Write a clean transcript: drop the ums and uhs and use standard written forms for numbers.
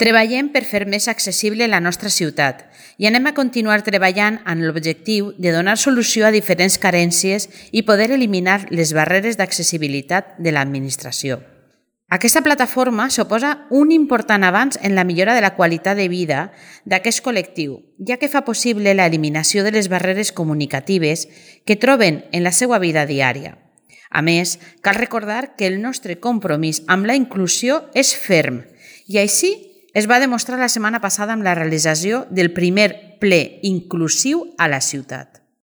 Treballem per fer més accessible la nostra ciutat i anem a continuar treballant amb l'objectiu de donar solució a diferents carències i poder eliminar les barreres d'accessibilitat de l'administració. Aquesta plataforma suposa un important avanç en la millora de la qualitat de vida d'aquest col·lectiu, ja que fa possible l'eliminació de les barreres comunicatives que troben en la seva vida diària. A més, cal recordar que el nostre compromís amb la inclusió és ferm i així es va demostrar la setmana passada amb la realització del primer ple inclusiu a la ciutat.